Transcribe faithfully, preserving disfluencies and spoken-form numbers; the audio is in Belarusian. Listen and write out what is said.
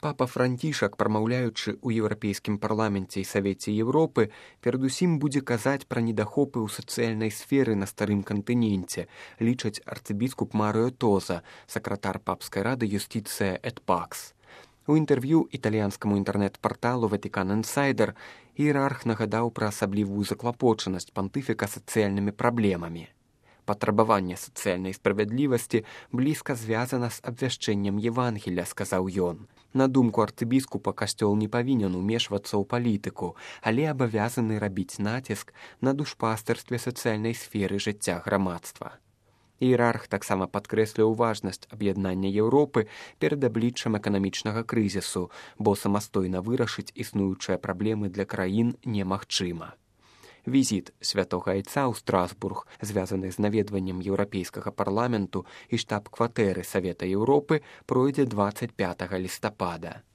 Папа Францішак, прамаўляючы ў Еўрапейскім парламенце і Савеце Еўропы, перадусім будзе казаць пра недахопы ў сацыяльнай сферы на старым кантыненце, лічаць арцыбіскуп Марыо Тоза, сакратар папскай рады Юстицыя эт Пакс. У інтэрв'ю італьянскаму інтэрнэт-парталу Ватикан Інсайдер іерарх нагадаў пра асаблівую заклапочанасць пантыфіка сацыяльнымі праблемамі. Патрабаванне сацыяльнай справядлівасці блізка звязана з абвяшчэннем Евангелля, сказаў ён. На думку арцыбіскупа, касцёл не павінен умешвацца ў палітыку, але абавязаны рабіць націск на душпастырстве сацыяльнай сферы жыцця грамадства. Іерарх таксама падкрэсліў важнасць аб'яднання Еўропы перад абліччам эканамічнага крызісу, бо самастойна вырашыць існуючыя праблемы для краін немагчыма. Візіт святога Айца ў Страсбург, звязаны з наведваннем Еўрапейскага парламенту і штаб-кватэры Савета Еўропы, пройдзе дваццаць пятага лістапада.